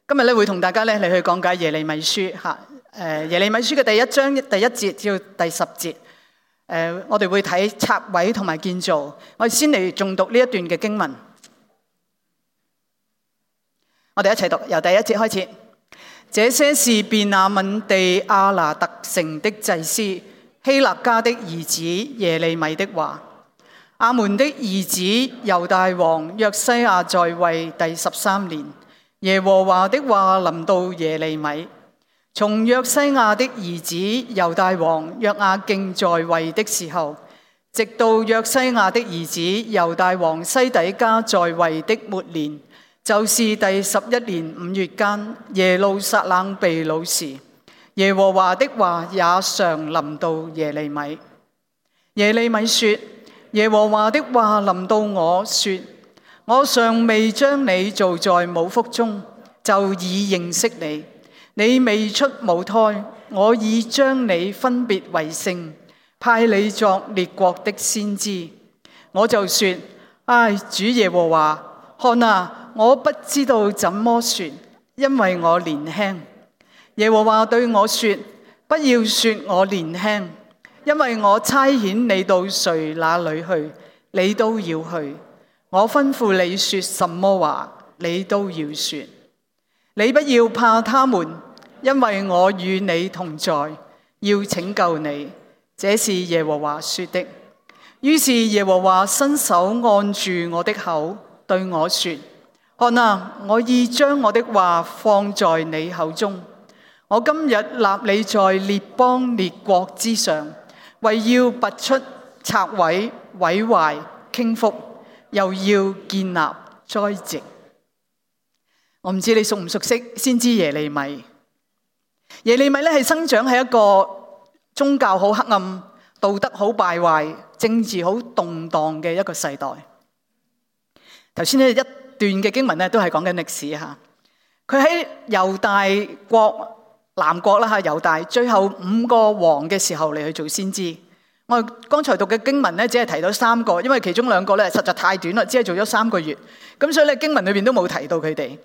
今日咧會同大家咧嚟去講解耶利米書嚇。耶利米書嘅第一章第一節至到第10節。我哋會睇拆毀同埋建造。我哋先嚟誦讀呢一段嘅經文。我哋一齊讀，由第一節開始。這些是便雅憫地亞拿特城的祭司希勒家的兒子耶利米的話。亞們的兒子猶大王約西亞在位第13年，耶和華的話臨到耶利米。從約西亞的兒子猶大王約雅敬在位的時候，直到約西亞的兒子猶大王西底家在位的末年，就是第11年5月間，耶路撒冷被擄時，耶和華的話也常臨到耶利米。耶利米說：耶和華的話臨到我說，我尚未將你造在母腹中，就已認識你。你未出母胎，我已將你分別為聖，派你作列國的先知。我就說：唉，主耶和華，看啊，我不知道怎麼說，因為我年輕。耶和華對我說：不要說我年輕，因為我差遣你到誰那裏去，你都要去。我吩咐你說什麼話，你都要說。你不要怕他們，因為我與你同在，要拯救你。這是耶和華說的。於是耶和華伸手按住我的口，對我說：看啊，我已將我的話放在你口中。我今日立你在列邦列國之上，為要拔出、拆毀、毀壞、傾覆，又要建立、栽植。我唔知你熟唔熟悉先知耶利米。耶利米咧係生長喺一個宗教好黑暗、道德好敗壞、政治好動盪嘅一個世代。頭先呢一段嘅經文咧都係講緊歷史嚇。佢喺猶大國南國啦嚇，猶大最後5個王嘅時候嚟去做先知。我剛才讀嘅經文咧只係提到3個，因為其中2個咧實在太短啦，只係做咗3個月，咁所以咧經文裏邊都冇提到佢哋。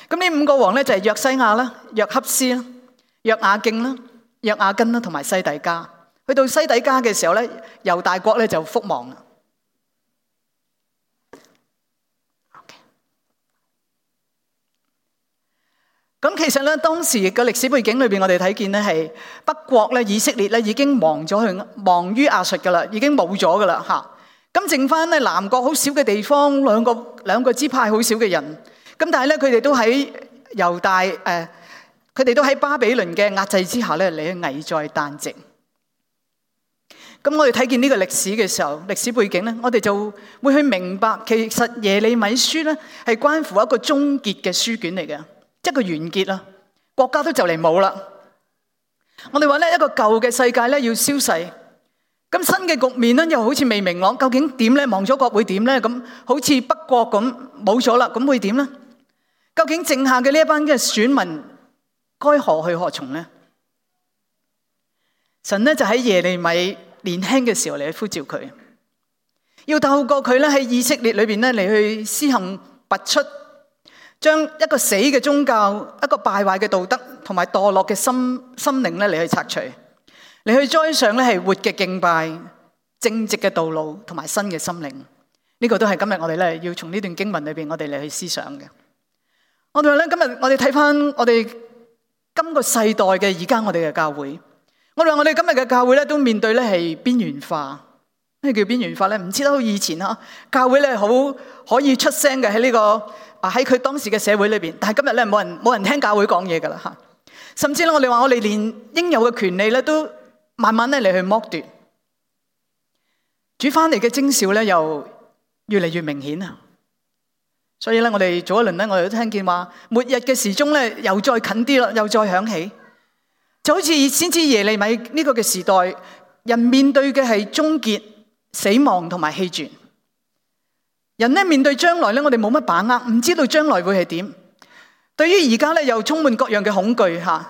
咁呢5個王咧就係約西亞啦、約哈斯啦、約雅敬啦、約雅斤啦同埋西底家。去到西底家嘅時候咧，猶大國咧就覆亡啦。咁其實咧當時嘅歷史背景裏邊，我哋睇見咧係北國咧以色列咧已經亡於亞述噶啦，已經冇咗噶啦嚇。咁剩翻咧南國好少嘅地方，兩個支派好少嘅人。咁但係咧佢哋都喺猶大佢哋都喺巴比倫嘅壓制之下咧嚟去危在旦夕。咁我哋睇見呢個歷史嘅時候，歷史背景咧，我哋就會去明白，其實耶利米書咧係關乎一個終結嘅書卷嚟嘅，即係個完結啦。國家都就嚟冇啦。我哋話咧一個舊嘅世界咧要消逝，咁新嘅局面咧又好似未明朗，究竟點咧？亡咗國會點咧？咁好似北國咁冇咗啦，咁會點咧？究竟剩下嘅呢一班嘅選民該何去何從呢？神咧就喺耶利米年輕嘅時候嚟去呼召佢，要透過佢咧喺以色列裏邊咧嚟去施行拔出，將一個死嘅宗教、一個敗壞嘅道德同埋墮落嘅心靈咧嚟去拆除，嚟去栽上咧係活嘅敬拜、正直嘅道路同埋新嘅心靈。呢個都係今日我哋咧要從呢段經文裏邊我哋嚟去思想嘅。我哋話咧，今日我哋睇翻我哋今個世代嘅而家我哋嘅教會，我哋話我哋今日嘅教會咧都面對咧係邊緣化。咩叫邊緣化咧？唔知道以前嚇教會咧好可以出聲嘅喺呢個喺佢當時嘅社會裏邊，但係今日咧冇人聽教會講嘢噶啦嚇。甚至咧我哋話我哋連應有嘅權利咧都慢慢咧嚟去剝奪。主翻嚟嘅徵兆咧又越嚟越明顯啊！所以咧，我哋早一輪咧，我哋都聽見話，末日嘅時鐘咧又再近啲啦，又再響起，就好似先知耶利米呢個嘅時代，人面對嘅係終結、死亡同埋棄絕。人咧面對將來咧，我哋冇乜把握，唔知道將來會係點。對於而家咧，又充滿各樣嘅恐懼嚇，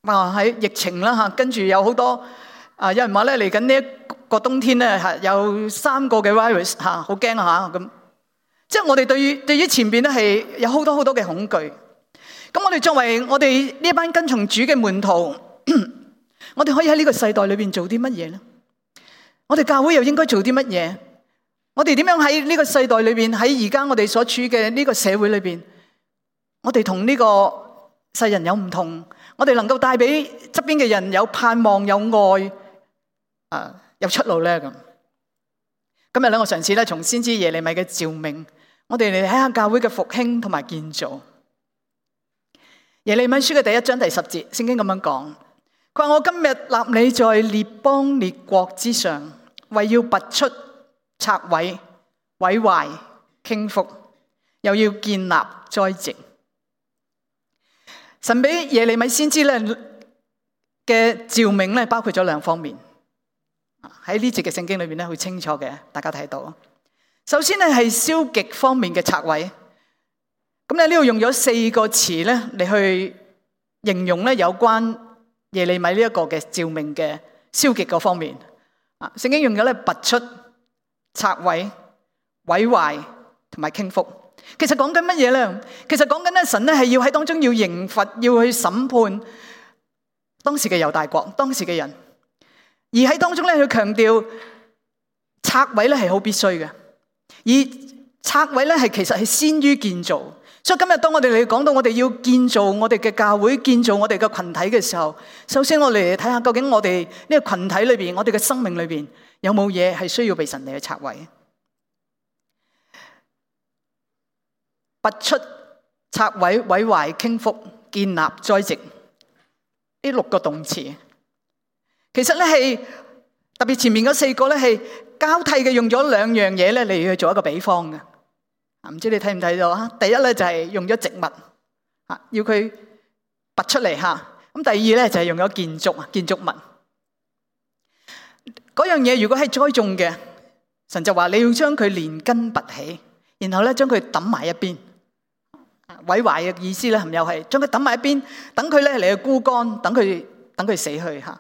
喺疫情啦嚇，跟住有好多有人話咧嚟緊呢一個冬天咧係有3個嘅 virus 嚇，好驚嚇咁。即係我哋對於前邊咧係有好多嘅恐懼，咁我哋作為我哋呢班跟從主嘅門徒，我哋可以喺呢個世代裏邊做啲乜嘢呢？我哋教會又應該做啲乜嘢？我哋點樣喺呢個世代裏邊，喺而家我哋所處嘅呢個社會裏邊，我哋同呢個世人有唔同，我哋能夠帶俾側邊嘅人有盼望、有愛，有出路咧。咁今日咧，我嘗試咧從先知耶利米嘅召命，我哋嚟睇下教會嘅復興同埋建造。耶利米書嘅第1章第10節，聖經咁樣講，佢話：我今日立你在列邦列國之上，為要拔出、拆毀、毀壞、傾覆，又要建立、栽植。神俾耶利米先知咧嘅召命咧，包括咗2方面。喺呢節嘅聖經裏面咧，好清楚嘅，大家睇到。首先咧係消極方面嘅拆毀。咁咧呢度用咗4個詞咧嚟去形容咧有關耶利米呢一個嘅召命嘅消極嗰方面。聖經用咗咧拔出、拆毀、毀壞同埋傾覆。其實講緊乜嘢咧？其實講緊咧神咧係要喺當中要刑罰，要去審判當時嘅猶大國，當時嘅人。而喺當中咧，佢強調拆毀咧係好必須嘅，而拆毀咧係其實係先於建造。所以今日當我哋嚟講到我哋要建造我哋嘅教會、建造我哋嘅群體嘅時候，首先我哋嚟睇下究竟我哋呢個群體裏邊，我哋嘅生命裏邊有冇嘢係需要被神嚟去拆毀、拔出、拆毀、毀壞、傾覆、建立、栽植呢6個動詞。其實咧係特別前面嗰4個咧係交替嘅，用咗2樣嘢咧嚟去做一個比方嘅。唔知你睇唔睇到啊？第一咧就係用咗植物，要佢拔出嚟吓。咁第二咧就係用咗建築物。嗰樣嘢如果係栽種嘅，神就話你要將佢連根拔起，然後咧將佢抌埋一邊。毀壞嘅意思咧，係咪又係將佢抌埋一邊，等佢咧嚟去枯乾，等佢死去吓。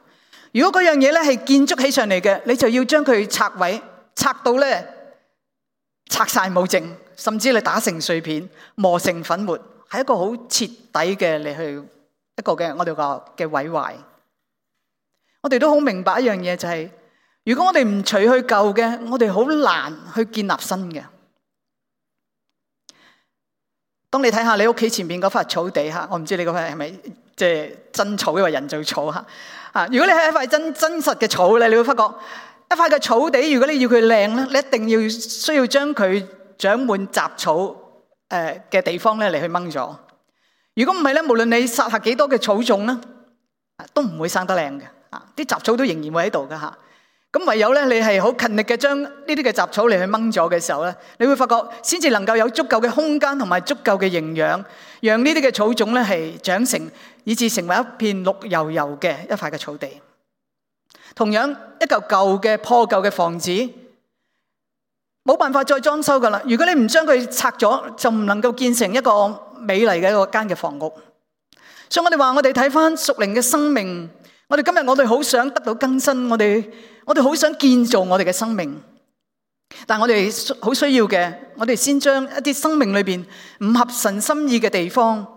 如果嗰樣嘢咧係建築起上嚟嘅，你就要將佢拆毀，拆到咧拆晒冇剩，甚至你打成碎片，磨成粉末，係一個好徹底嘅嚟去一個嘅我哋個嘅毀壞。我哋都好明白一樣嘢就係，如果我哋唔除去舊嘅，我哋好難去建立新嘅。當你睇下你屋企前面嗰塊草地吓，我唔知你嗰塊係咪即係真草抑或人造草吓。如果你係一塊真實嘅草咧，你會發覺一塊嘅草地，如果你要佢靚咧，你一定需要將佢長滿雜草嘅地方咧嚟去掹咗。如果唔係咧，無論你撒下幾多嘅草種咧，都唔會生得靚嘅。啲雜草都仍然會喺度噶吓。咁唯有咧，你係好勤力嘅將呢啲嘅雜草嚟去掹咗嘅時候咧，你會發覺先至能夠有足夠嘅空間同埋足夠嘅營養，讓呢啲嘅草種咧係長成，以致成為一片綠油油嘅一塊嘅草地。同樣一嚿舊嘅破舊嘅房子，冇辦法再裝修噶啦。如果你唔將佢拆咗，就唔能夠建成一個美麗嘅一個間嘅房屋。所以我哋話，我哋睇翻屬靈嘅生命，我哋今日我哋好想得到更新，我哋好想建造我哋嘅生命，但係我哋好需要嘅，我哋先將一啲生命裏邊唔合神心意嘅地方，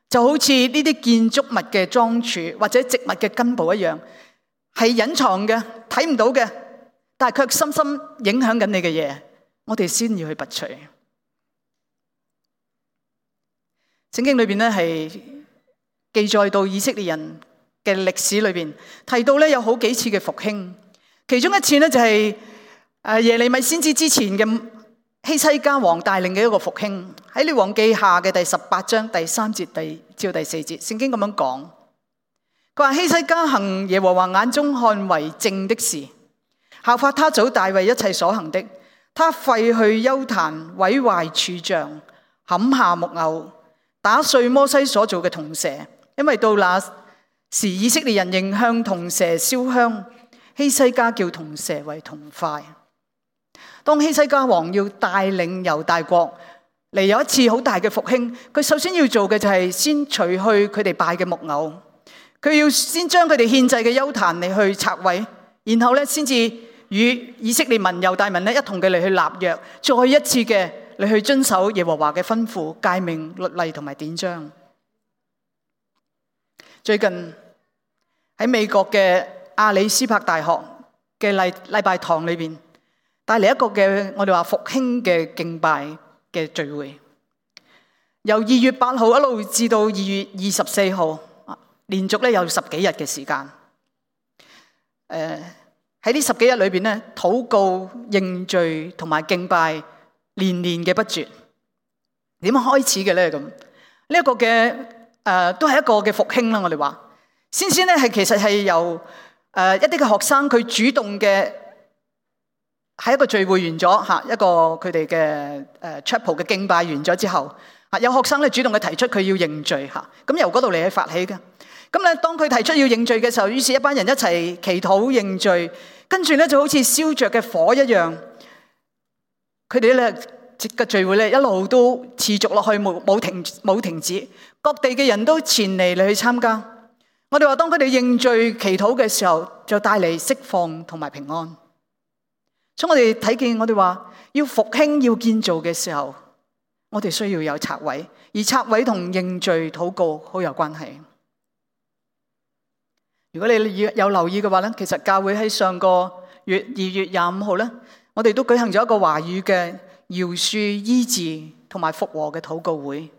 就好似呢啲建築物嘅樁柱或者植物嘅根部一樣，係隱藏嘅，睇唔到嘅，但係卻深深影響緊你嘅嘢，我哋先要去拔除。聖經裏邊咧係記載到以色列人嘅歷史裏邊，提到咧有好幾次嘅復興。其中一次咧就係耶利米先知之前嘅希西家王帶領嘅一個復興，喺列王記下嘅第18章第3節至第4節，聖經咁樣講，佢話希西家行耶和華眼中看為正的事，效法他祖大衛一切所行的，他廢去邱壇，毀壞柱像，砍下木偶，打碎摩西所做嘅銅蛇，因為到那時以色列人仍向銅蛇燒香。希西家叫銅蛇為銅塊。當希西家王要帶領猶大國嚟有一次好大嘅復興，佢首先要做嘅就係先除去佢哋拜嘅木偶，佢要先將佢哋獻祭嘅邱壇嚟去拆毀，然後咧先至與以色列民猶大民咧一同嘅嚟去立約，再一次嘅嚟去遵守耶和華嘅吩咐、誡命、律例同埋典章。最近喺美國嘅阿里斯柏大學嘅禮拜堂裏邊，帶嚟一個嘅我哋話復興嘅敬拜嘅聚會，由2月8號一路至到2月24號，連續咧有10幾日嘅時間。喺呢10幾日裏邊咧，禱告、認罪同埋敬拜連連嘅不絕。點樣開始嘅咧？咁呢一個嘅都係一個嘅復興啦。我哋話先咧係其實係由一啲嘅學生佢主動嘅，喺一個聚會完咗嚇，一個佢哋嘅chapel 嘅敬拜完咗之後，有學生咧主動嘅提出佢要認罪嚇，咁由嗰度嚟去發起嘅。咁咧當佢提出要認罪嘅時候，於是一班人一齊祈禱認罪，跟住咧就好似燒着嘅火一樣，佢哋咧嘅聚會咧一路都持續落去，冇停止，各地嘅人都前嚟去參加。我哋話當佢哋認罪祈禱嘅時候，就帶嚟釋放同埋平安。所以我哋睇見我哋話要復興要建造嘅時候，我哋需要有拆毀，而拆毀同認罪禱告好有關係。如果你有留意嘅話咧，其實教會喺上個月2月25號咧，我哋都舉行咗一個華語嘅饒恕、醫治同埋復和嘅禱告會。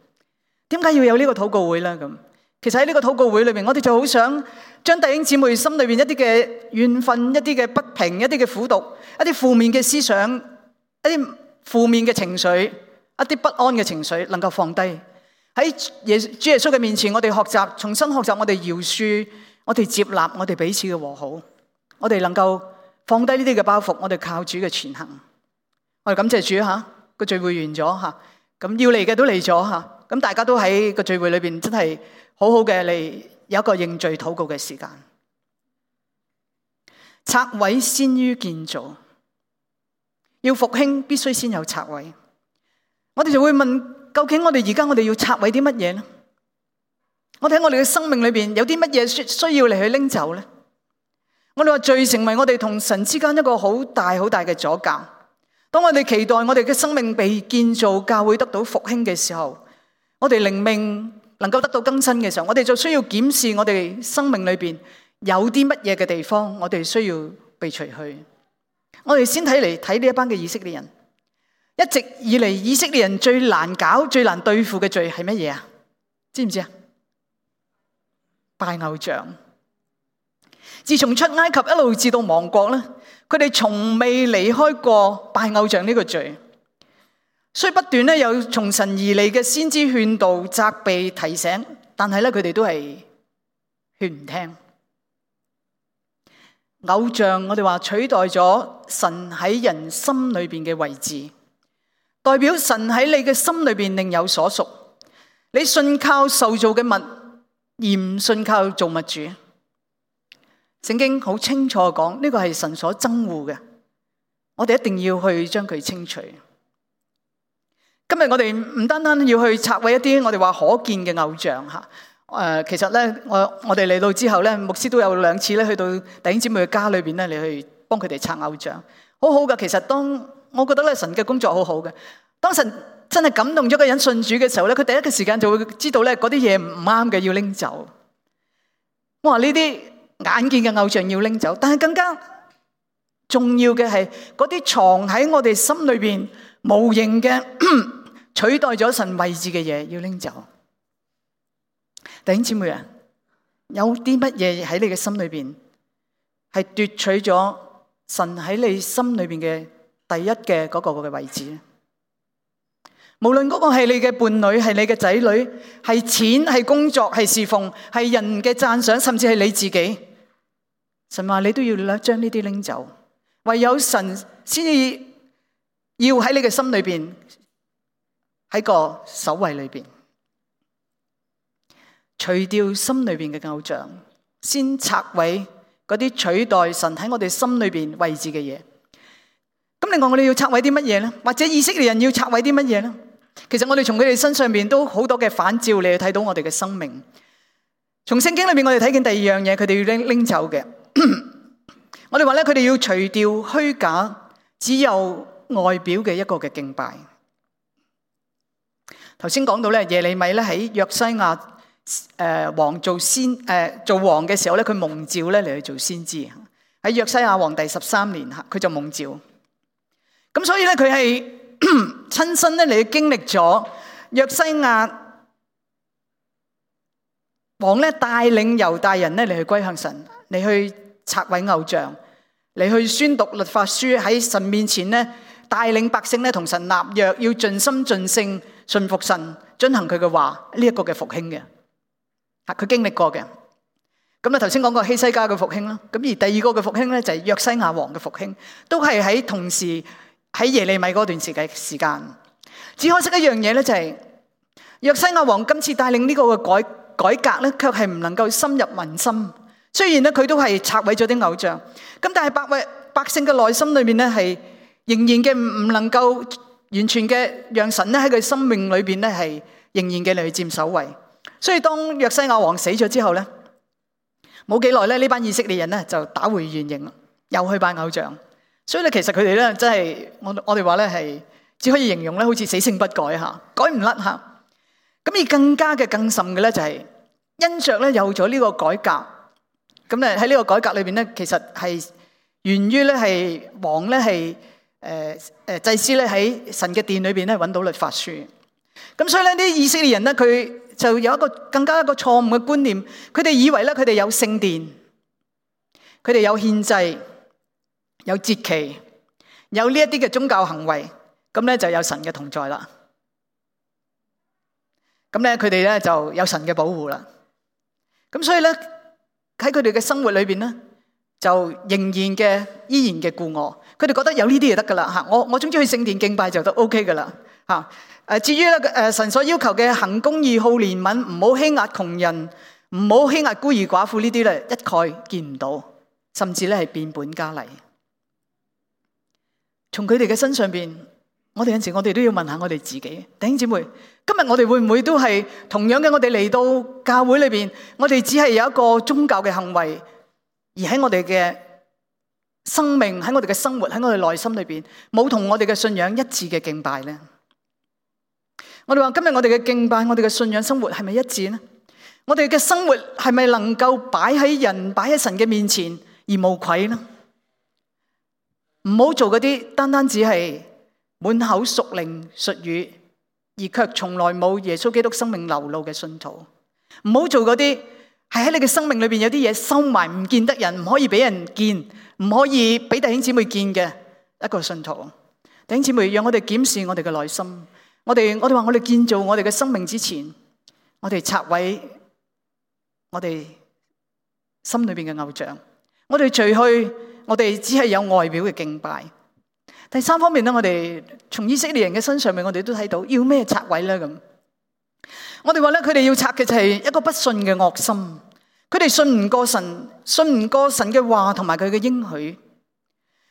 點解要有呢個禱告會咧？咁其實喺呢個禱告會裏邊，我哋就好想將弟兄姊妹心裏邊一啲嘅怨憤、一啲嘅不平、一啲嘅苦毒、一啲負面嘅思想、一啲負面嘅情緒、一啲不安嘅情緒，能夠放低喺主耶穌嘅面前。我哋學習，重新學習我哋饒恕，我哋接納，我哋彼此嘅和好，我哋能夠放低呢啲嘅包袱，我哋靠主嘅前行。我哋感謝主吓，個聚會完咗吓，咁要嚟嘅都嚟咗吓，咁大家都喺個聚會裏邊真係好好嘅嚟有一個認罪禱告嘅時間。拆毀先於建造，要復興必須先有拆毀。我哋就會問，究竟我哋而家我哋要拆毀啲乜嘢呢？我哋喺我哋嘅生命裏邊有啲乜嘢需要嚟去拎走呢？我哋話罪成為我哋同神之間一個好大好大嘅阻隔。當我哋期待我哋嘅生命被建造，教會得到復興嘅時候，我哋靈命能夠得到更新嘅時候，我哋就需要檢視我哋生命裏邊有啲乜嘢嘅地方，我哋需要被除去。我哋先睇呢一班嘅以色列人，一直以嚟以色列人最難搞、最難對付嘅罪係乜嘢啊？知唔知啊？拜偶像。自從出埃及一路至到亡國咧，佢哋從未離開過拜偶像呢個罪，所以不斷咧有從神而嚟嘅先知勸導、責備、提醒，但係咧佢哋都係勸唔聽。偶像我哋話取代咗神喺人心裏邊嘅位置，代表神喺你嘅心裏邊另有所屬。你信靠受造嘅物，而唔信靠造物主。聖經好清楚講，呢個係神所憎惡嘅，我哋一定要去將佢清除。今日我哋唔單單要去拆毀一啲我哋話可見嘅偶像吓，其實咧我哋嚟到之後咧，牧師都有2次咧去到弟兄姊妹嘅家裏邊咧，你去幫佢哋拆偶像，好好噶。其實我覺得咧神嘅工作好好嘅，當神真係感動咗個人信主嘅時候咧，佢第一個時間就會知道咧嗰啲嘢唔啱嘅要拎走。我話呢啲眼見嘅偶像要拎走，但係更加重要嘅係嗰啲藏喺我哋心裏邊無形嘅取代咗神位置嘅嘢要拎走。弟兄姊妹啊，有啲乜嘢喺你嘅心裏邊係奪取咗神喺你心裏邊嘅第一嘅嗰個嘅位置咧？無論嗰個係你嘅伴侶，係你嘅仔女，係錢，係工作，係侍奉，係人嘅讚賞，甚至係你自己，神話你都要將呢啲拎走。唯有神先至要喺你嘅心裏邊，喺個首位裏邊除掉心裏邊嘅偶像，先拆毀嗰啲取代神喺我哋心裏邊位置嘅嘢。咁另外我哋要拆毀啲乜嘢咧？或者以色列人要拆毀啲乜嘢咧？其實我哋從佢哋身上邊都好多嘅反照，你去睇到我哋嘅生命。從聖經裏邊我哋睇見第二樣嘢，佢哋要拎走嘅。我哋話咧，佢哋要除掉虛假，只有外表嘅一個嘅敬拜。頭先講到咧，耶利米咧喺約西亞王做王嘅時候咧，佢蒙召咧嚟去做先知。喺約西亞王第13年佢就蒙召。咁所以咧佢係親身咧嚟去經歷咗約西亞王咧帶領猶大人咧嚟去歸向神，嚟去拆毀偶像，嚟去宣讀律法書，喺神面前咧帶領百姓咧同神立約，要盡心盡性順服神，遵行佢嘅話，呢一個嘅復興嘅。佢經歷過嘅。咁頭先講過希西家嘅復興啦，咁而第二個嘅復興咧就係約西亞王嘅復興，都係喺同時喺耶利米嗰段時間。只可惜一樣嘢咧，就係約西亞王今次帶領呢個嘅改革咧，卻係唔能夠深入民心。雖然咧佢都係拆毀咗啲偶像，咁但係百姓嘅內心裏面咧係仍然嘅唔能夠完全嘅讓神咧喺佢生命裏邊咧係仍然嘅嚟去佔首位。所以當約西亞王死咗之後咧，冇幾耐咧，呢班以色列人咧就打回原形，又去拜偶像。所以咧，其實佢哋咧真係我哋話咧係只可以形容咧，好似死性不改嚇，改唔甩嚇。咁而更甚嘅咧就係因着咧有咗呢個改革，咁咧喺呢個改革裏邊咧，其實係源於咧係王咧係祭司咧喺神嘅殿裏邊咧揾到律法書。咁所以咧啲以色列人咧佢就有一個更加一個錯誤嘅觀念，佢哋以為咧佢哋有聖殿，佢哋有獻祭，有節期，有呢一啲嘅宗教行為，咁咧就有神嘅同在啦。咁咧佢哋咧就有神嘅保護啦。咁所以咧喺佢哋嘅生活裏邊咧，就仍然嘅依然嘅故我，佢哋覺得有呢啲就得噶啦嚇。我總之去聖殿敬拜就都 OK 噶啦嚇。至於咧神所要求嘅行公義、好憐憫，唔好欺壓窮人，唔好欺壓孤兒寡婦呢啲咧，一概見唔到，甚至咧係變本加厲。從佢哋嘅身上邊，我哋有陣時我哋都要問下我哋自己，弟兄姊妹，今日我哋會唔會都係同樣嘅？我哋嚟到教會裏邊，我哋只係有一個宗教嘅行為，而喺我哋嘅生命、喺我哋嘅生活、喺我哋內心裏邊，冇同我哋嘅信仰一致嘅敬拜咧。我哋話今日我哋嘅敬拜，我哋嘅信仰生活係咪一致呢？我哋嘅生活係咪能夠擺喺神嘅面前而無愧呢？唔好做嗰啲單只係滿口屬靈術語，而卻從來冇耶穌基督生命流露嘅信徒。唔好做嗰啲係喺你嘅生命裏邊有啲嘢收埋唔見得人，唔可以俾人見，唔可以俾弟兄姊妹見嘅一個信徒。弟兄姊妹，讓我哋檢視我哋嘅內心。我哋話我哋建造我哋嘅生命之前，我哋拆毀我哋心裏邊嘅偶像，我哋除去我哋只係有外表嘅敬拜。第三方面咧，我哋從以色列人嘅身上面，我哋都睇到要咩拆毀咧咁。我哋話咧，佢哋要拆嘅就係一個不信嘅惡心，佢哋信唔過神，信唔過神嘅話同埋佢嘅應許。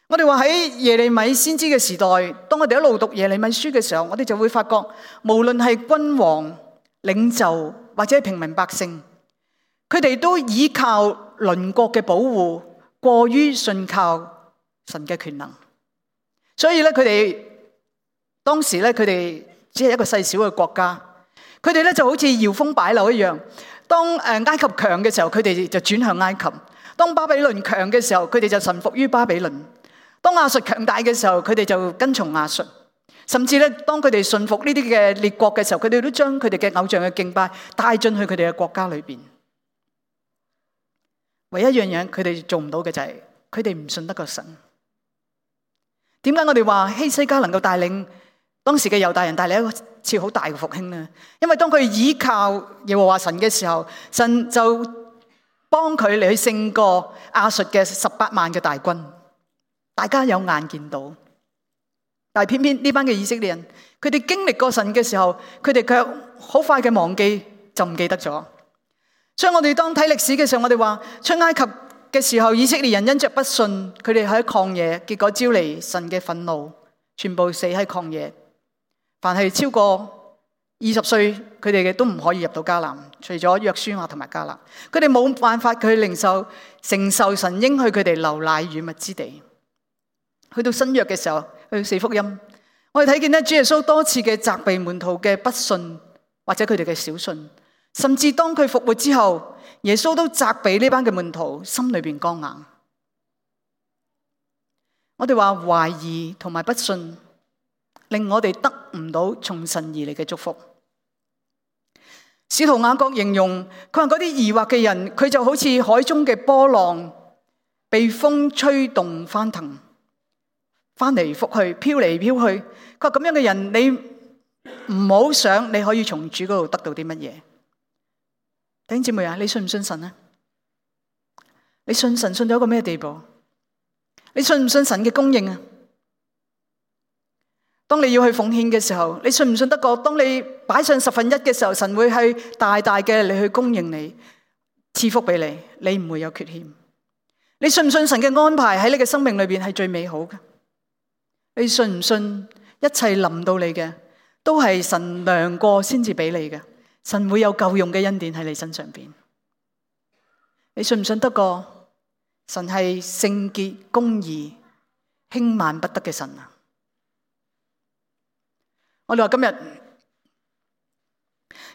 我哋話喺耶利米先知嘅時代，當我哋一路讀耶利米書嘅時候，我哋就會發覺，無論係君王、領袖或者平民百姓，佢哋都依靠鄰國嘅保護，過於信靠神嘅權能。所以咧，佢哋當時咧，佢哋只係一個細小嘅國家，佢哋咧就好似搖風擺柳一樣。當埃及強嘅時候，佢哋就轉向埃及；當巴比倫強嘅時候，佢哋就臣服於巴比倫。當亞述強大嘅時候，佢哋就跟從亞述，甚至咧，當佢哋順服呢啲嘅列國嘅時候，佢哋都將佢哋嘅偶像嘅敬拜帶進去佢哋嘅國家裏邊。唯一一樣嘢佢哋做唔到嘅就係佢哋唔信得過神。點解我哋話希西家能夠帶領當時嘅猶大人帶嚟一次好大嘅復興呢？因為當佢依靠耶和華神嘅時候，神就幫佢嚟去勝過亞述嘅18萬嘅大軍。大家有眼見到，但係偏偏呢班嘅以色列人，佢哋經歷過神嘅時候，佢哋卻好快嘅忘記，就唔記得咗。所以我哋當睇歷史嘅時候，我哋話出埃及嘅時候，以色列人因着不信，佢哋喺曠野，結果招嚟神嘅憤怒，全部死喺曠野。凡係超過20歲，佢哋嘅都唔可以入到迦南，除咗約書亞同埋迦勒，佢哋冇辦法佢承受神應許佢哋流奶與蜜之地。去到新約嘅時候，去到四福音，我哋睇見咧，主耶穌多次嘅責備門徒嘅不信或者佢哋嘅小信，甚至當佢復活之後，耶穌都責備呢班嘅門徒心裏邊剛硬。我哋話懷疑同埋不信，令我哋得唔到從神而嚟嘅祝福。使徒雅各形容，佢話嗰啲疑惑嘅人，佢就好似海中嘅波浪，被風吹動翻騰，翻嚟覆去，飄嚟飄去。佢話咁樣嘅人，你唔好想你可以從主嗰度得到啲乜嘢。弟兄姊妹啊，你信唔信神啊？你信神信到一個咩地步？你信唔信神嘅供應啊？當你要去奉獻嘅時候，你信唔信得過？當你擺上1/10嘅時候，神會係大大嘅你去供應你，賜福俾你，你唔會有缺欠。你信唔信神嘅安排喺你嘅生命裏邊係最美好嘅？你信唔信一切臨到你嘅都係神量過先至俾你嘅？神會有夠用嘅恩典喺你身上邊。你信唔信得過？神係聖潔公義輕慢不得嘅神啊！我哋話今日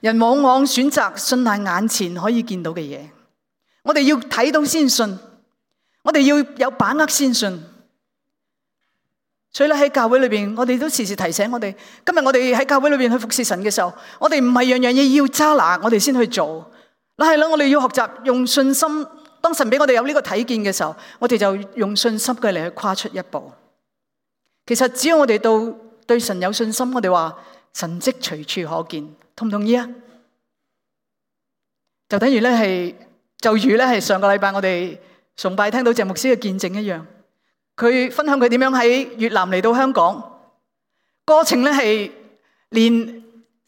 人往往選擇信賴眼前可以見到嘅嘢，我哋要睇到先信，我哋要有把握先信。所以咧喺教會裏邊，我哋都時時提醒我哋，今日我哋喺教會裏邊去服侍神嘅時候，我哋唔係樣樣嘢要揸拿，我哋先去做。嗱係啦，我哋要學習用信心。當神俾我哋有呢個睇見嘅時候，我哋就用信心嘅嚟去跨出一步。其實只要我哋對神有信心，我哋話神蹟隨處可見，同唔同意啊？就等於咧係，就如咧係上個禮拜我哋崇拜聽到謝牧師嘅見證一樣，佢分享佢點樣喺越南嚟到香港，過程咧係連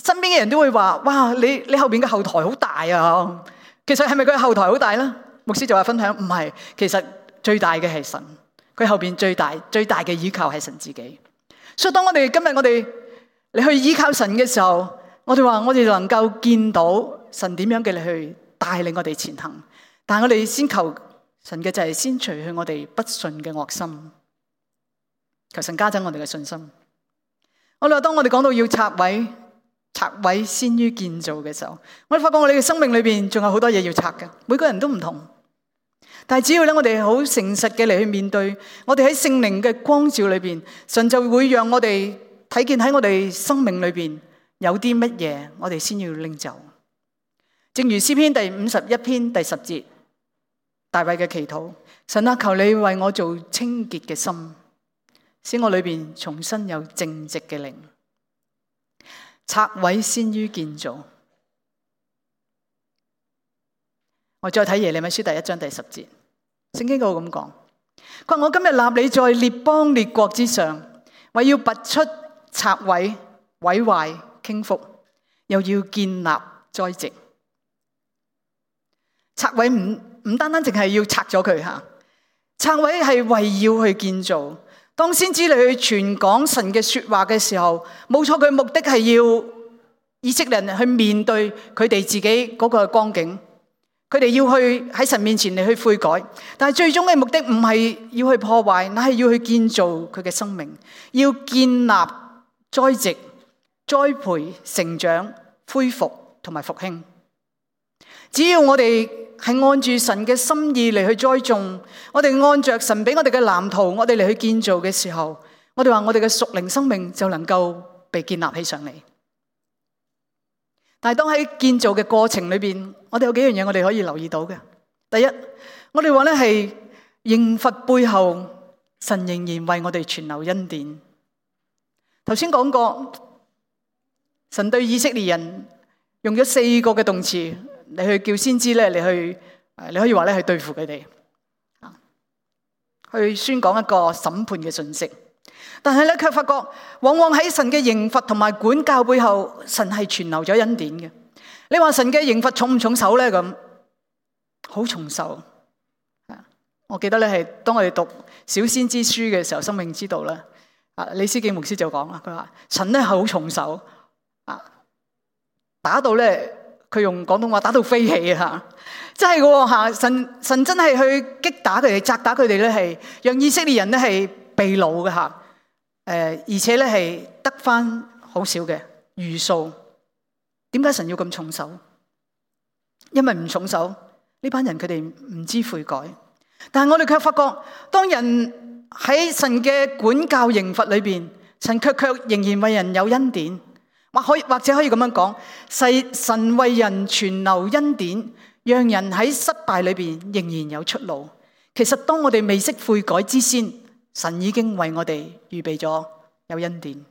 身邊嘅人都會話：哇，你後邊嘅後台好大啊！其實係咪佢後台好大咧？牧師就話分享唔係，其實最大嘅係神，佢後邊最大嘅依靠係神自己。所以當今日你去依靠神嘅時候，我哋話我哋能夠見到神點樣嘅你去帶領我哋前行。但係我哋先求神嘅就係先除去我哋不信嘅惡心，求神加增我哋嘅信心。我哋話當我哋講到要拆毀先於建造嘅時候，我哋發覺我哋嘅生命裏邊仲有好多嘢要拆嘅，每個人都唔同。但係只要咧，我哋好誠實嘅嚟去面對，我哋喺聖靈嘅光照裏邊，神就會讓我哋睇見喺我哋生命裏邊有啲乜嘢，我哋先要拎走。正如詩篇第51篇第10節，大衛嘅祈禱：神啊，求你為我做清潔嘅心，使我裏邊重新有正直嘅靈。拆毀先於建造。我再睇耶利米書第1章第10節，聖經嗰度咁講：佢話我今日立你在列邦列國之上，為要拔出拆毀、毀壞、傾覆，又要建立栽植。拆毀唔單單淨係要拆咗佢吓，拆毀係為要去建造。當先知你去傳講神嘅說話嘅時候，冇錯，佢目的係要以色列人去面對佢哋自己嗰個光景，佢哋要去喺神面前嚟去悔改，但係最終嘅目的唔係要去破壞，乃係要去建造佢嘅生命，要建立、栽植、栽培、成長、恢復同埋復興。只要我哋係按住神嘅心意嚟去栽種，我哋按着神俾我哋嘅藍圖，我哋嚟去建造嘅時候，我哋話我哋嘅屬靈生命就能夠被建立起上嚟。但係當喺建造嘅過程裏邊，我哋有幾樣嘢我哋可以留意到嘅。第一，我哋話咧係刑罰背後，神仍然為我哋存留恩典。頭先講過，神對以色列人用咗4個嘅動詞嚟去叫先知咧，你可以話咧係對付佢哋，去宣講一個審判嘅信息。但係咧，卻發覺往往喺神嘅刑罰同埋管教背後，神係存留咗恩典嘅。你話神嘅刑罰重唔重手咧？咁好重手。我記得咧係當我哋讀小先知書嘅時候，生命之道咧，李思敬牧師就講啦，佢話神咧係好重手，打到咧，佢用廣東話打到飛起啊！真係嘅吓，神真係去擊打佢哋、責打佢哋咧，係讓以色列人咧係被擄嘅吓。而且咧係得翻好少嘅餘數。點解神要咁重手？因為唔重手，呢班人佢哋唔知悔改。但係我哋卻發覺，當人喺神嘅管教刑罰裏邊，神卻仍然為人有恩典，或者可以咁樣講，神為人存留恩典，讓人喺失敗裏邊仍然有出路。其實當我哋未識悔改之先，神已經為我哋預備咗有恩典。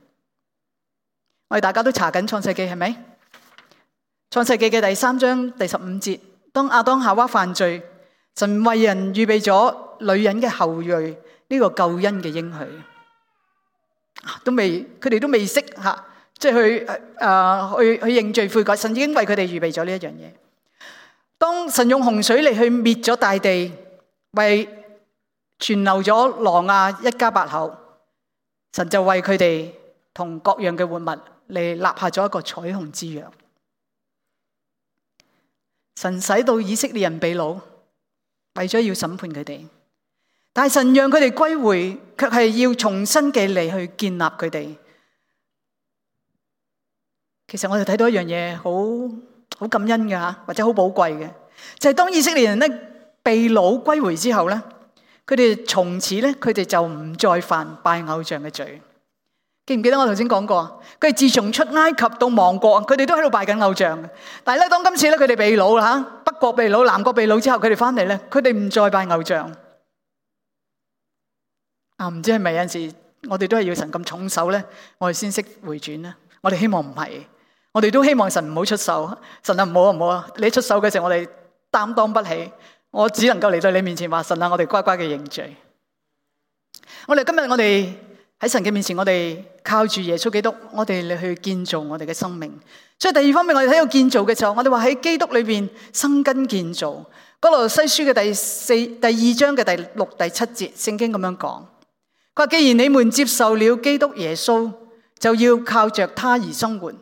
我哋大家都查緊創世記係咪？創世記嘅第3章第15節，當亞當夏娃犯罪，神為人預備咗女人嘅後裔呢個救恩嘅應許，佢哋都未識吓，即係去認罪悔改，神已經為佢哋預備咗呢一樣嘢。當神用洪水嚟去滅咗大地，為存留咗挪亞一家8口，神就為佢哋同各樣嘅活物嚟立下咗一個彩虹之約。神使到以色列人被擄，為咗要審判佢哋，但係神讓佢哋歸回，卻係要重新嘅嚟去建立佢哋。其實我哋睇到一樣嘢，好感恩嘅吓，或者好寶貴嘅，就係當以色列人咧被擄歸回之後咧，佢哋從此咧，佢哋就唔再犯拜偶像嘅罪。記唔記得我頭先講過？佢哋自從出埃及到亡國，佢哋都喺度拜緊偶像嘅。但係咧，當今次咧佢哋被擄啦吓，北國被擄、南國被擄之後，佢哋翻嚟咧，佢哋唔再拜偶像。唔知係咪有陣時我哋都係要神咁重手咧，我哋先識回轉咧？我哋希望唔係，我哋都希望神唔好出手。神啊，唔好啊！你出手嘅時候，我哋擔當不起，我只能夠嚟到你面前話：神啊，我哋乖乖嘅認罪。我哋今日我哋喺神嘅面前，我哋靠住耶穌基督，我哋嚟去建造我哋嘅生命。所以第二方面，我哋睇到建造嘅時候，我哋話喺基督裏邊生根建造。哥羅西書嘅第2章嘅第6、第7節，聖經咁樣講：佢話既然你們接受了基督耶穌，就要靠着他而生活，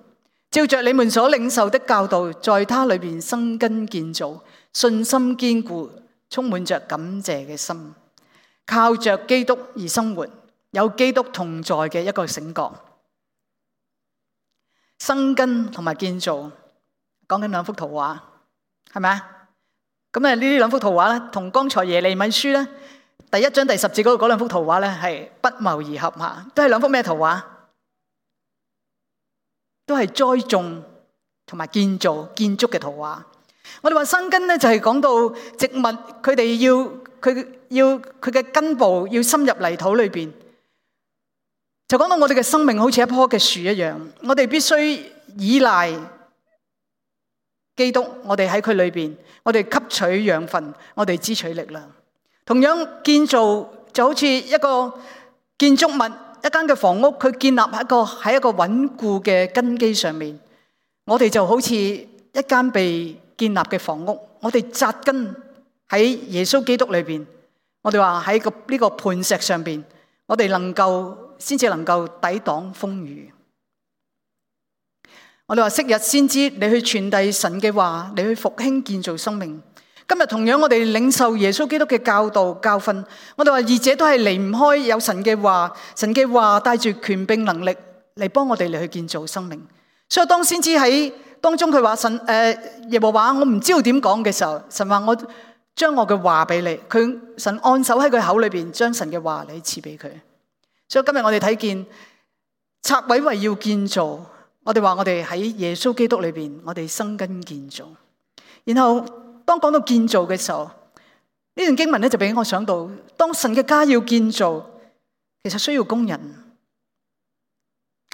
照着你們所領受的教導，在他裏邊生根建造，信心堅固，充滿着感謝嘅心，靠着基督而生活。有基督同在嘅一個醒覺，生根同埋建造，講緊兩幅圖畫，係咪啊？咁呢兩幅圖畫咧，同剛才耶利米書咧第1章第10節嗰兩幅圖畫咧係不謀而合吓，都係兩幅咩圖畫？都係栽種同埋建造建築嘅圖畫。我哋話生根咧就係講到植物佢哋佢嘅根部要深入泥土裏邊。就講到我哋嘅生命好似一棵嘅樹一樣，我哋必須依賴基督，我哋喺佢裏邊，我哋吸取養分，我哋支取力量。同樣建造就好似一個建築物，一間嘅房屋，佢建立喺一個穩固嘅根基上面。我哋就好似一間被建立嘅房屋，我哋扎根喺耶穌基督裏邊。我哋話喺呢個磐石上邊，我哋先至能夠抵擋風雨。我哋話昔日先知你去傳遞神嘅話，你去復興建造生命。今日同樣我哋領受耶穌基督嘅教導教訓，我哋話二者都係離唔開有神嘅話，神嘅話帶住權柄能力嚟幫我哋嚟去建造生命。所以當先知喺當中佢話耶和華我唔知道點講嘅時候，神話我將我嘅話俾你，神按手喺佢口裏邊將神嘅話你賜俾佢。所以今日我哋睇見拆毀為要建造，我哋話我哋喺耶穌基督裏邊，我哋生根建造。然後當講到建造嘅時候，呢段經文咧就俾我想到，當神嘅家要建造，其實需要工人，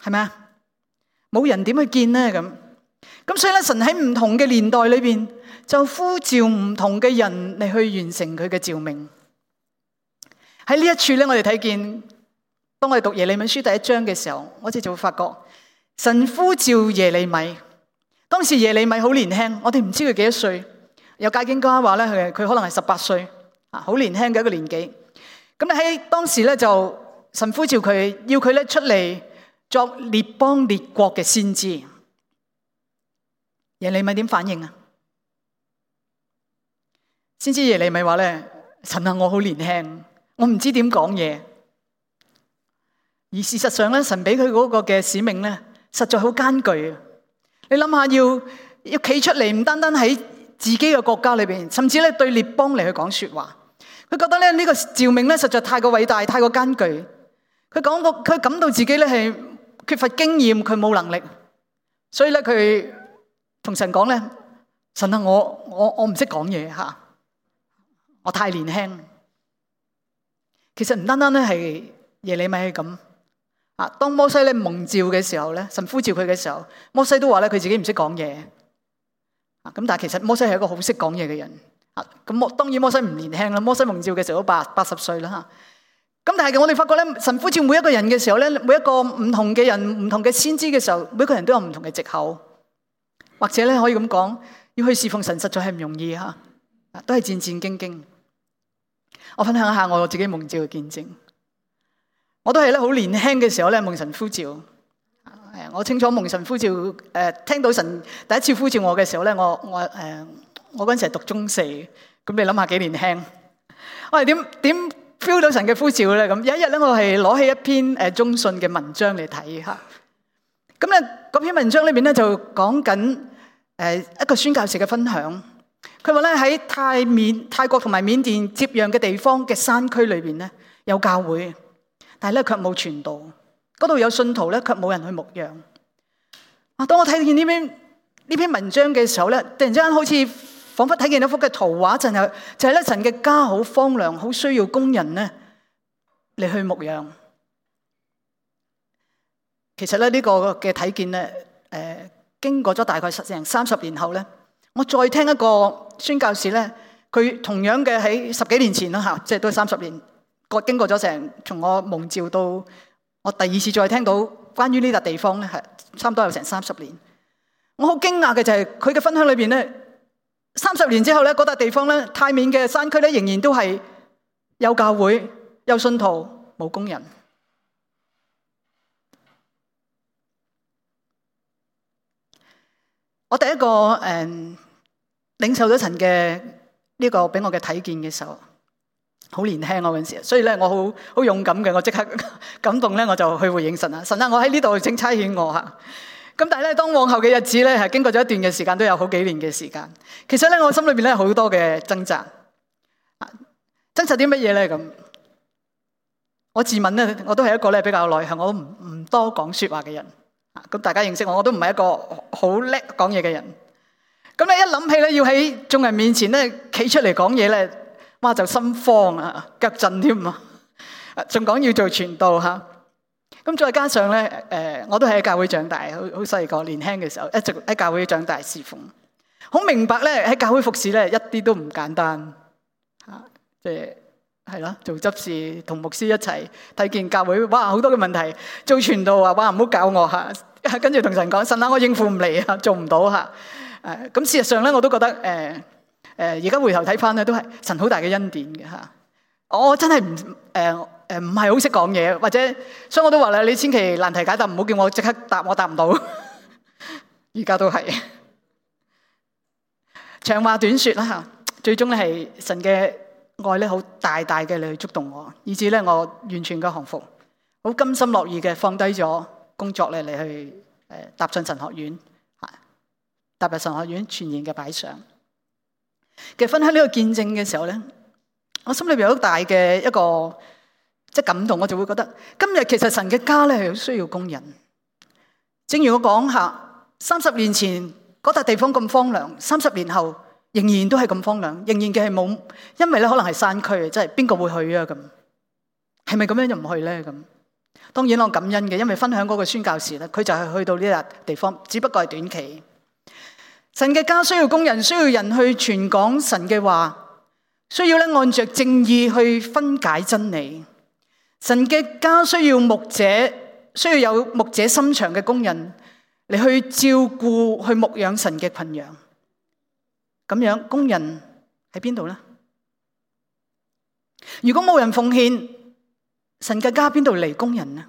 係咪啊？冇人點去建呢？咁所以咧，神喺唔同嘅年代裏邊，就呼召唔同嘅人嚟去完成佢嘅召命。喺呢一處咧，我哋睇見，當我哋讀耶利米書第1章嘅時候，我哋就會發覺神呼召耶利米。當時耶利米好年輕，我哋唔知佢幾多歲。有解經家話咧，佢可能係18歲，好年輕嘅一個年紀。咁咧喺當時咧就神呼召佢，要佢咧出嚟作列邦列國嘅先知。耶利米點反應啊？先知耶利米話咧：神啊，我好年輕，我唔知點講嘢。而事實上咧，神俾佢嗰個嘅使命咧，實在好艱巨啊！你諗下，要企出嚟，唔單單喺自己嘅國家裏邊，甚至咧對列邦嚟去講說話。佢覺得咧呢個召命咧實在太過偉大，太過艱巨。佢感到自己咧係缺乏經驗，佢冇能力，所以咧佢同神講咧：神啊，我唔識講嘢吓，我太年輕。其實唔單單咧係耶利米係咁啊。當摩西咧蒙召嘅時候咧，神呼召佢嘅時候，摩西都話咧佢自己唔識講嘢啊。咁但係其實摩西係一個好識講嘢嘅人啊。咁當然摩西唔年輕啦，摩西蒙召嘅時候都80歲啦吓。咁但係我哋發覺咧，神呼召每一個人嘅時候咧，每一個唔同嘅人、唔同嘅先知嘅時候，每個人都有唔同嘅藉口，或者咧可以咁講，要去侍奉神實在係唔容易吓，都係戰戰兢兢。我分享一下我自己蒙召嘅見證。我都係咧好年輕嘅時候咧蒙神呼召。我清楚蒙神呼召，聽到神第一次呼召我嘅時候咧，我嗰陣時係讀中4，咁你諗下幾年輕？我係點 feel 到神嘅呼召咧？咁有一日咧，我係攞起一篇中信嘅文章嚟睇吓。咁咧嗰篇文章裏面咧就講緊一個宣教士嘅分享。佢話咧喺泰國同埋緬甸接壤嘅地方嘅山區裏邊咧有教會，但係咧卻冇傳道。嗰度有信徒咧，卻冇人去牧養。當我睇見呢篇文章嘅時候咧，突然之間好似彷彿睇見一幅嘅圖畫，就係咧神嘅家好荒涼，好需要工人咧嚟去牧養。其實咧呢個嘅睇見咧，經過咗大概成30年後咧，我再聽一個宣教士咧，佢同樣嘅喺10幾年前啦吓，即係都係30年，經過咗從我蒙召到我第2次再聽到關於呢笪地方咧，係差唔多有成30年。我好驚訝嘅就係佢嘅分享裏邊咧，30年之後咧，嗰笪地方咧，泰緬嘅山區咧，仍然都係有教會、有信徒、冇工人。我第一個領受咗神嘅呢個俾我嘅睇見嘅時候，好年輕嗰陣時，所以咧我好勇敢嘅，我即刻感動咧，我就去回應神啊！神啊，我喺呢度請差遣我吓。咁但係咧，當往後嘅日子咧，係經過咗一段嘅時間，都有好幾年嘅時間。其實咧，我心裏邊咧好多嘅掙扎，掙扎啲乜嘢咧？咁我自問咧，我都係一個咧比較內向，我唔多講說話嘅人。咁大家認識我都唔係一個好叻講嘢嘅人。咁你一諗起咧，要喺眾人面前咧企出嚟講嘢咧，哇就心慌啊，腳震添啊！仲講要做傳道吓。咁再加上咧，我都係喺教會長大，好細個年輕嘅時候，一直喺教會長大侍奉，好明白咧喺教會服侍咧一啲都唔簡單吓，即係咯，做執事同牧師一齊睇見教會，哇好多嘅問題，做傳道啊，哇唔好教我吓，跟住同神講，神啊我應付唔嚟啊，做唔到吓，咁事實上咧我都覺得而家回頭睇翻咧都係神好大嘅恩典嘅吓，我真係唔係好識講嘢，或者所以我都話咧，你千祈難題解答唔好叫我即刻答，我答唔到，而家都係長話短說啦吓，最終咧係神嘅愛咧好大大嘅嚟去觸動我，以至咧我完全嘅降服，好甘心樂意嘅放低咗工作咧嚟去踏進神學院，踏入神學院全然嘅擺上。其實分享呢個見證嘅時候咧，我心裏邊有好大嘅一個即係感動，我就會覺得今日其實神嘅家咧係好需要工人。正如我講下，30年前嗰笪地方咁荒涼，30年後仍然都係咁荒涼，仍然嘅係冇，因為咧可能係山區，即係邊個會去啊？咁係咪咁樣就唔去咧？咁當然我感恩嘅，因為分享嗰個宣教士咧，佢就係去到呢笪地方，只不過係短期。神嘅家需要工人，需要人去傳講神嘅話，需要咧按着正義去分解真理。神嘅家需要牧者，需要有牧者心腸嘅工人嚟去照顧、去牧養神嘅群羊。咁樣工人喺邊度呢？如果冇人奉獻，神嘅家邊度嚟工人呢？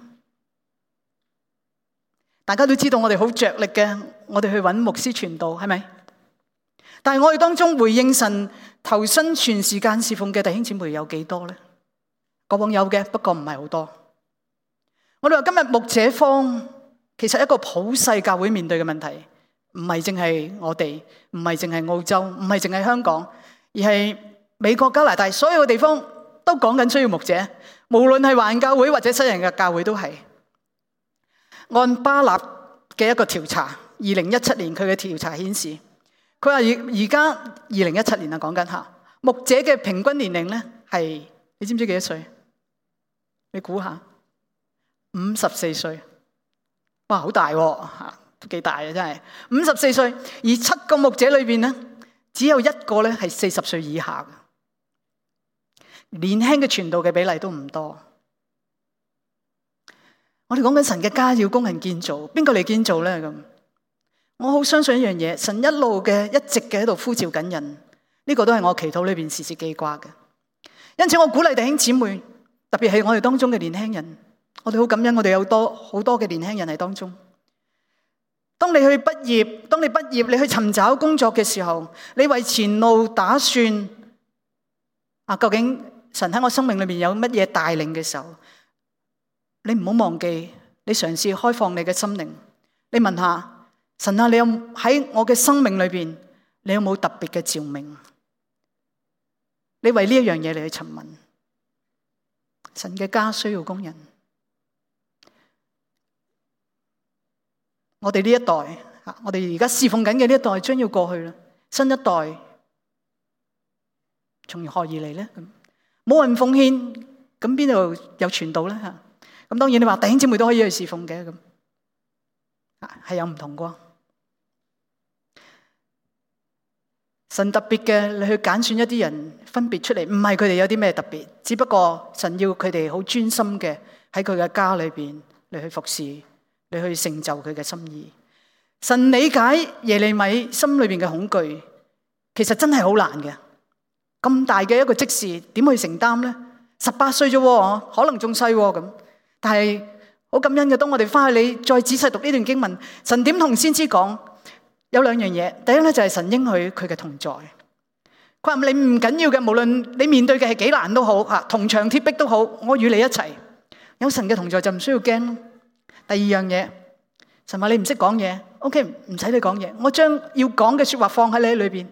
大家都知道我哋好着力嘅，我哋去揾牧師傳道，係咪？但係我哋當中回應神、投身全時間侍奉嘅弟兄姊妹有幾多呢？過往有嘅，不過唔係好多。我哋話今日牧者荒，其實一個普世教會面對嘅問題，唔係淨係我哋，唔係淨係澳洲，唔係淨係香港，而係美國、加拿大所有嘅地方都講緊需要牧者，無論係華人教會或者西人嘅教會都係。按巴納嘅一個調查，2017年佢嘅調查顯示，佢話而家2017年啊，講緊吓牧者嘅平均年齡咧係，你知唔知幾多歲？你估下，54歲。哇，好大喎，都幾大啊，真係54歲。而7個牧者裏邊咧，只有1個咧係40歲以下嘅，年輕嘅傳道嘅比例都唔多。我哋講緊神嘅家要工人建造，邊個嚟建造咧？咁我好相信一樣嘢，神一路嘅一直嘅喺度呼召緊人，呢個都係我祈禱裏邊時時記掛嘅。因此我鼓勵弟兄姊妹，特別係我哋當中嘅年輕人，我哋好感恩，我哋有好多嘅年輕人喺當中。當你去畢業，當你畢業，你去尋找工作嘅時候，你為前路打算啊？究竟神喺我生命裏面有乜嘢帶領嘅時候？你唔好忘記，你嘗試開放你嘅心靈，你問下神啊，你有喺我嘅生命裏邊，你有冇特別嘅召命？你為呢一樣嘢嚟去詢問。神嘅家需要工人，我哋呢一代，我哋而家侍奉緊嘅呢一代將要過去啦，新一代從何而嚟咧？冇人奉獻，咁邊度有傳道咧？咁當然你話弟兄姊妹都可以去侍奉嘅，咁係有唔同啩。神特別嘅，你去揀選一啲人分別出嚟，唔係佢哋有啲咩特別，只不過神要佢哋好專心嘅喺佢嘅家裏邊你去服侍，你去成就佢嘅心意。神理解耶利米心裏邊嘅恐懼，其實真係好難嘅。咁大嘅一個職事，點去承擔咧？18歲啫，可能仲細咁。但係好感恩嘅，當我哋翻去你再仔細讀呢段經文，神點同先知講？有2樣嘢。第一咧就係神應許佢嘅同在。佢話你唔緊要嘅，無論你面對嘅係幾難都好，銅牆鐵壁都好，我與你一齊。有神嘅同在就唔需要驚。第2樣嘢，神話你唔識講嘢 ，OK， 唔使你講嘢，我將要講嘅說話放喺你裏邊。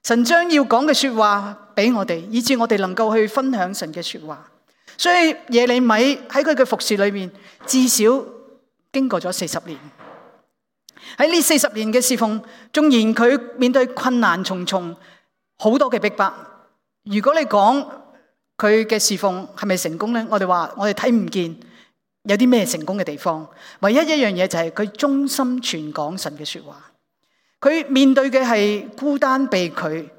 神將要講嘅說話俾我哋，以致我哋能夠去分享神嘅說話。所以耶利米喺佢嘅服侍裏面，至少經過咗40年。喺呢40年嘅侍奉，縱然佢面對困難重重，好多嘅逼迫。如果你講佢嘅侍奉係咪成功呢？我哋話我哋睇唔見有啲咩成功嘅地方。唯一一樣嘢就係佢忠心傳講神嘅說話。佢面對嘅係孤單被拒，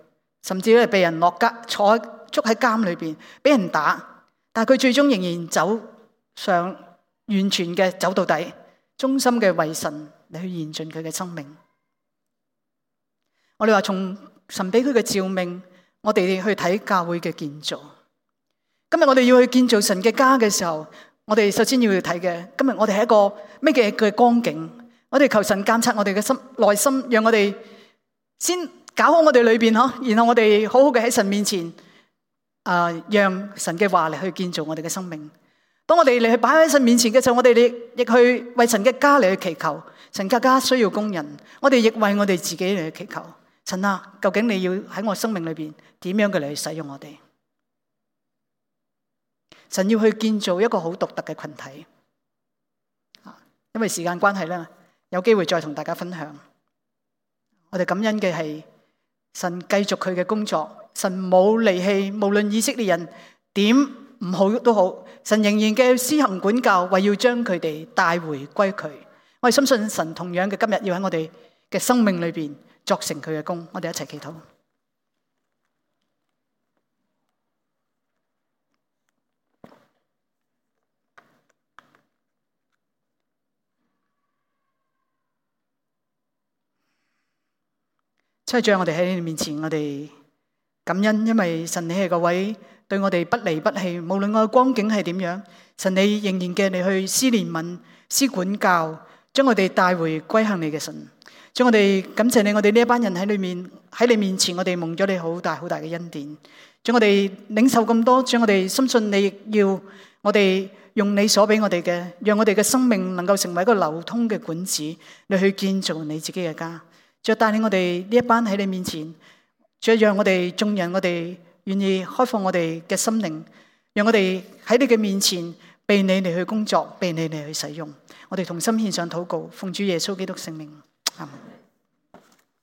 甚至咧被人落監，捉喺監裏邊，俾人打。但係佢最終仍然走上完全嘅走到底，忠心嘅為神嚟去延盡佢嘅生命。我哋話從神俾佢嘅召命，我哋去睇教會嘅建造。今日我哋要去建造神嘅家嘅時候，我哋首先要去睇嘅，今日我哋係一個咩嘅光景？我哋求神監察我哋嘅心內心，讓我哋先搞好我哋裏邊嗬，然後我哋好好嘅喺神面前。讓神嘅話嚟去建造我哋嘅生命。當我哋嚟去擺喺神面前嘅時候，我哋亦去為神嘅家嚟去祈求。神嘅家需要工人，我哋亦為我哋自己嚟去祈求。神啊，究竟你要喺我生命裏邊點樣嘅嚟去使用我哋？神要去建造一個好獨特嘅群體。因為時間關係咧，有機會再同大家分享。我哋感恩嘅係神繼續佢嘅工作。神冇離棄，無論以色列人點唔好都好，神仍然嘅施行管教，為要將佢哋帶回歸佢。我哋深信神同樣嘅今日要喺我哋嘅生命裏邊作成佢嘅工。我哋一齊祈禱。七長，我哋喺你面前，我哋感恩，因為神你係個位對我哋不離不棄，無論我嘅光景係點樣，神你仍然嘅你去施憐憫、施管教，將我哋帶回歸向你嘅神。將我哋感謝你，我哋呢一班人喺你面前，我哋蒙咗你好大好大嘅恩典。將我哋領受咁多，將我哋深信你亦要我哋用你所俾我哋嘅，讓我哋嘅生命能夠成為一個流通嘅管子，你去建造你自己嘅家。再帶領我哋呢一班喺你面前，再讓我哋眾人，我哋願意開放我哋嘅心靈，讓我哋喺你嘅面前被你嚟去工作，被你嚟去使用。我哋同心獻上禱告，奉主耶穌基督聖名。阿們。